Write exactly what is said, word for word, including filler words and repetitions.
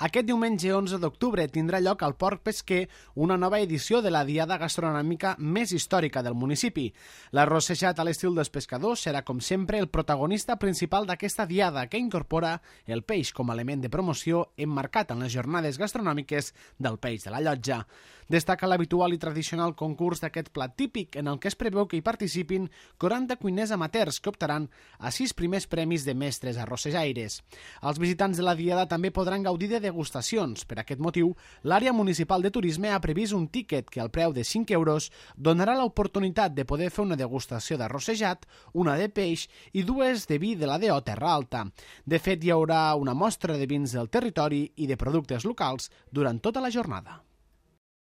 Aquest diumenge onze d'octubre tindrà lloc al Port Pesquer una nova edició de la diada gastronòmica més històrica del municipi. L'arrossejat a l'estil dels pescadors serà, com sempre, el protagonista principal d'aquesta diada, que incorpora el peix com a element de promoció emmarcat en les jornades gastronòmiques del peix de la llotja. Destaca l'habitual i tradicional concurs d'aquest plat típic, en el que es preveu que hi participin quaranta cuiners amateurs que optaran a sis primers premis de mestres arrossejaires. Els visitants de la diada també podran gaudir de degustacions. Per aquest motiu, l'àrea municipal de turisme ha previst un tíquet que al preu de cinc euros donarà l'oportunitat de poder fer una degustació d'arrossejat, una de peix i dues de vi de la D O Terra Alta. De fet, hi haurà una mostra de vins del territori i de productes locals durant tota la jornada.